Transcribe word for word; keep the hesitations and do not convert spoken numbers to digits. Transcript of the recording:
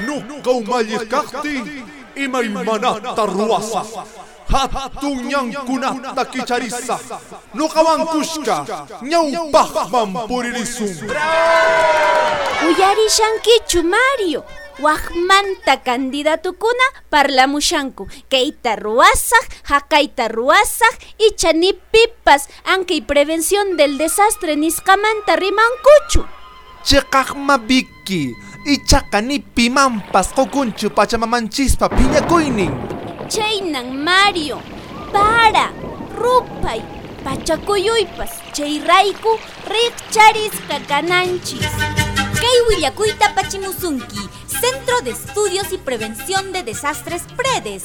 Nuqa umalliq kaqtiy imaymanata ruwasaq. Hatun ñankunata kicharisaq. Nuqawan kushka ñawpaqman puririsun. Uyarishankichu, Mario? Wajmanta candidatukuna parlamushanku. Kayta ruwasaq, haqayta ruwasaq, icha ni pipas ankay prevención del desastre nisqamanta rimankuchu. Chiqaqma Vicky, ichaqa ni pimanpas qukunchu pachamamanchispa phiñakuynin. Chaynan, Mario, para, ruphay, pachakuyuypas chayrayku riqcharisqa kananchis. Kay willakuyta apachimusunki Centro de Estudios y Prevención de Desastres PREDES.